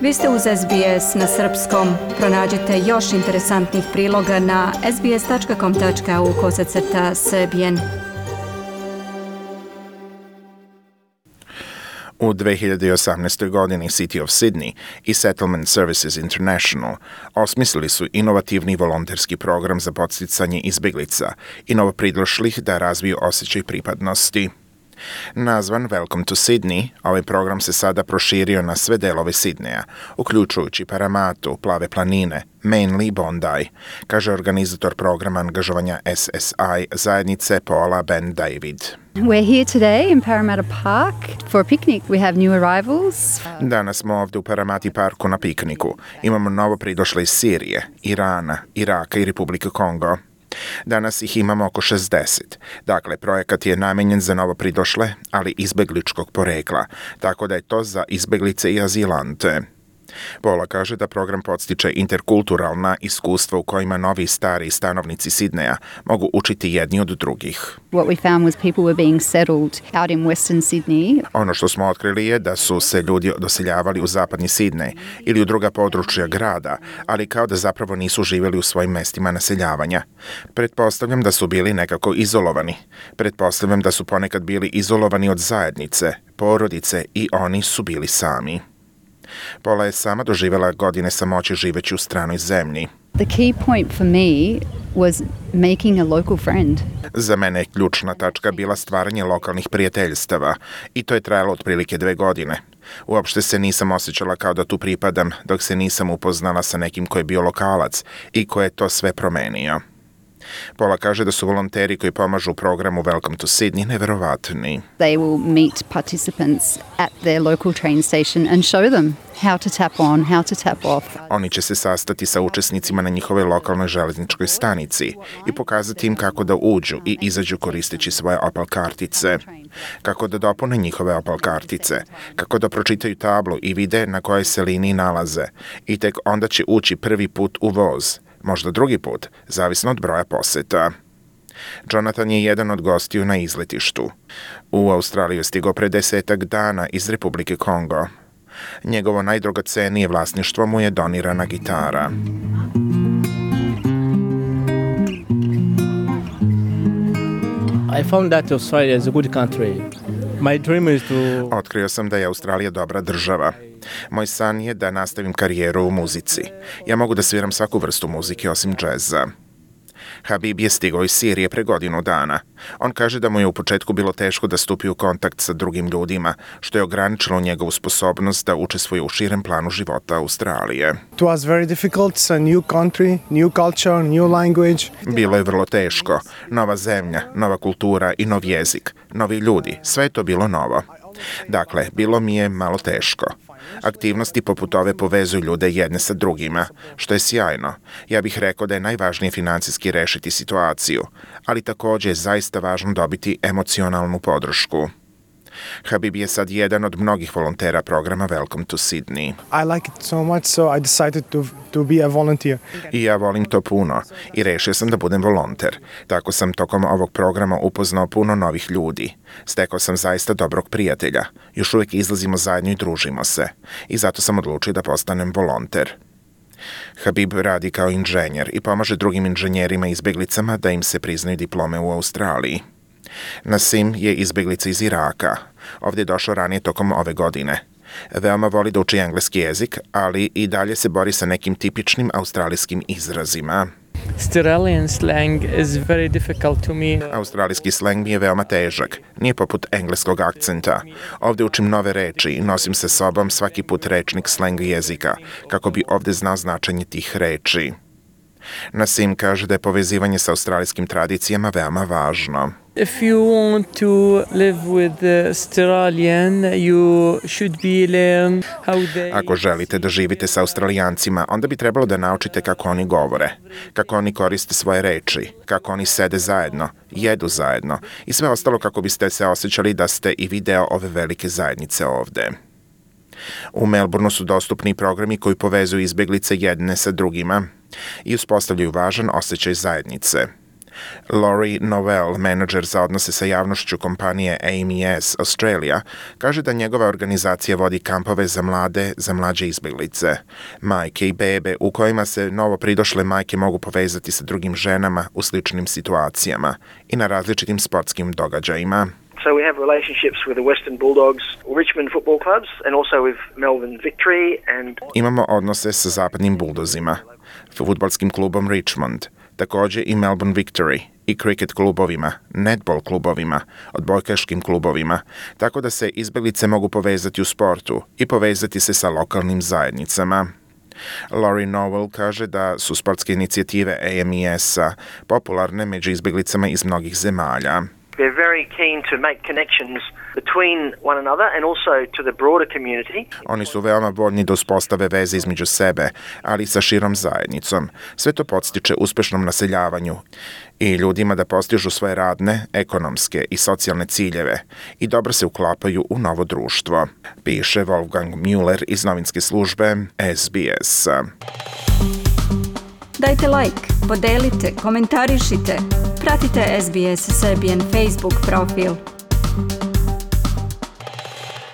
Vi ste uz SBS na srpskom. Pronađite još interesantnih priloga na sbs.com.au/srbijen. U 2018. godini City of Sydney i Settlement Services International osmislili su inovativni volonterski program za podsticanje izbjeglica i novopridošlih da razviju osjećaj pripadnosti. Nazvan Welcome to Sydney, ovaj program se sada proširio na sve delove Sidneja, uključujući Paramatu, Plave planine, Manly i Bondi, kaže organizator programa angažovanja SSI zajednice Paula Ben David. We're here today in Parramatta Park for a picnic. We have new arrivals. Danas smo ovdje u Paramati parku na pikniku. Imamo novo pridošle iz Sirije, Irana, Iraka i Republike Kongo. Danas ih imamo oko 60. Dakle, projekat je namenjen za novo pridošle, ali izbegličkog porekla, tako da je to za izbeglice i azilante. Paula kaže da program podstiče interkulturalna iskustva u kojima novi i stari stanovnici Sidneja mogu učiti jedni od drugih. What we found was people were being settled out in Western Sydney. Ono što smo otkrili je da su se ljudi doseljavali u zapadni Sidnej ili u druga područja grada, ali kao da zapravo nisu živjeli u svojim mestima naseljavanja. Pretpostavljam da su bili nekako izolovani. Pretpostavljam da su ponekad bili izolovani od zajednice, porodice i oni su bili sami. Paula je sama doživjela godine samoće živeći u stranoj zemlji. The key point for me was making a local friend. Za mene je ključna tačka bila stvaranje lokalnih prijateljstava i to je trajalo otprilike 2 godine. Uopšte se nisam osjećala kao da tu pripadam dok se nisam upoznala sa nekim ko je bio lokalac i ko je to sve promenio. Paula kaže da su volonteri koji pomažu u programu Welcome to Sydney neverovatni. They will meet participants at their local train station and show them how to tap on, how to tap off. Oni će se sastati sa učesnicima na njihovoj lokalnoj železničkoj stanici i pokazati im kako da uđu i izađu koristeći svoje Opal kartice, kako da dopune njihove Opal kartice, kako da pročitaju tablu i vide na kojoj se liniji nalaze i tek onda će ući prvi put u voz, možda drugi put, zavisno od broja poseta. Jonathan je jedan od gostiju na izletištu. U Australiju je stigao pre 10 dana iz Republike Kongo. Njegovo najdragocenije vlasništvo mu je donirana gitara. I found that Australia is a good country. My dream is to... Otkrio sam da je Australija dobra država. Moj san je da nastavim karijeru u muzici. Ja mogu da sviram svaku vrstu muzike osim džeza. Habib je stigao iz Sirije pre godinu dana. On kaže da mu je u početku bilo teško da stupi u kontakt sa drugim ljudima, što je ograničilo njegovu sposobnost da učestvuje u širem planu života Australije. It was very difficult, it's a new country, new culture, new language. Bilo je vrlo teško. Nova zemlja, nova kultura i nov jezik, novi ljudi, sve je to bilo novo. Dakle, bilo mi je malo teško. Aktivnosti poput ove povezuju ljude jedne sa drugima, što je sjajno. Ja bih rekao da je najvažnije financijski rešiti situaciju, ali također je zaista važno dobiti emocionalnu podršku. Habib je sad jedan od mnogih volontera programa Welcome to Sydney. I like it so much, so I decided to be a volunteer. I ja volim to puno i rešio sam da budem volonter. Tako sam tokom ovog programa upoznao puno novih ljudi. Stekao sam zaista dobrog prijatelja. Još uvijek izlazimo zajedno i družimo se. I zato sam odlučio da postanem volonter. Habib radi kao inženjer i pomaže drugim inženjerima i izbjeglicama da im se priznaju diplome u Australiji. Nasim je izbjeglica iz Iraka. Ovdje je došao ranije tokom ove godine. Veoma voli da uči engleski jezik, ali i dalje se bori sa nekim tipičnim australijskim izrazima. Australian slang is very difficult to me. Australijski sleng mi je veoma težak, nije poput engleskog akcenta. Ovdje učim nove reči i nosim sa sobom svaki put rečnik sleng jezika, kako bi ovdje znao značenje tih reči. Nasim kaže da je povezivanje sa australijskim tradicijama veoma važno. If you want to live with Australian, you should be learn how they... Ako želite da živite sa Australijancima, onda bi trebalo da naučite kako oni govore, kako oni koriste svoje reči, kako oni sede zajedno, jedu zajedno i sve ostalo kako biste se osjećali da ste i vi deo ove velike zajednice ovde. U Melbourneu su dostupni programi koji povezuju izbjeglice jedne sa drugima i uspostavljaju važan osjećaj zajednice. Laurie Novell, menadžer za odnose sa javnošću kompanije AMES Australia, kaže da njegova organizacija vodi kampove za mlađe izbjeglice, majke i bebe u kojima se novo pridošle majke mogu povezati sa drugim ženama u sličnim situacijama i na različitim sportskim događajima. So we have relationships with the Western Bulldogs, Richmond football clubs, and also with Melbourne Victory and... Imamo odnose sa zapadnim buldozima, fudbalskim klubom Richmond, također i Melbourne Victory, i cricket klubovima, netball klubovima, odbojkaškim klubovima, tako da se izbjeglice mogu povezati u sportu i povezati se sa lokalnim zajednicama. Laurie Novell kaže da su sportske inicijative AMES-a popularne među izbjeglicama iz mnogih zemalja. They're very keen to make connections between one another and also to the broader community. Oni su veoma voljni da uspostave veze između sebe, ali i sa širom zajednicom. Sve to podstiče uspešnom naseljavanju i ljudima da postižu svoje radne, ekonomske i socijalne ciljeve i dobro se uklapaju u novo društvo, piše Wolfgang Müller iz novinske službe SBS. Dajte like, podelite, komentarišite, pratite SBS Serbian Facebook profil.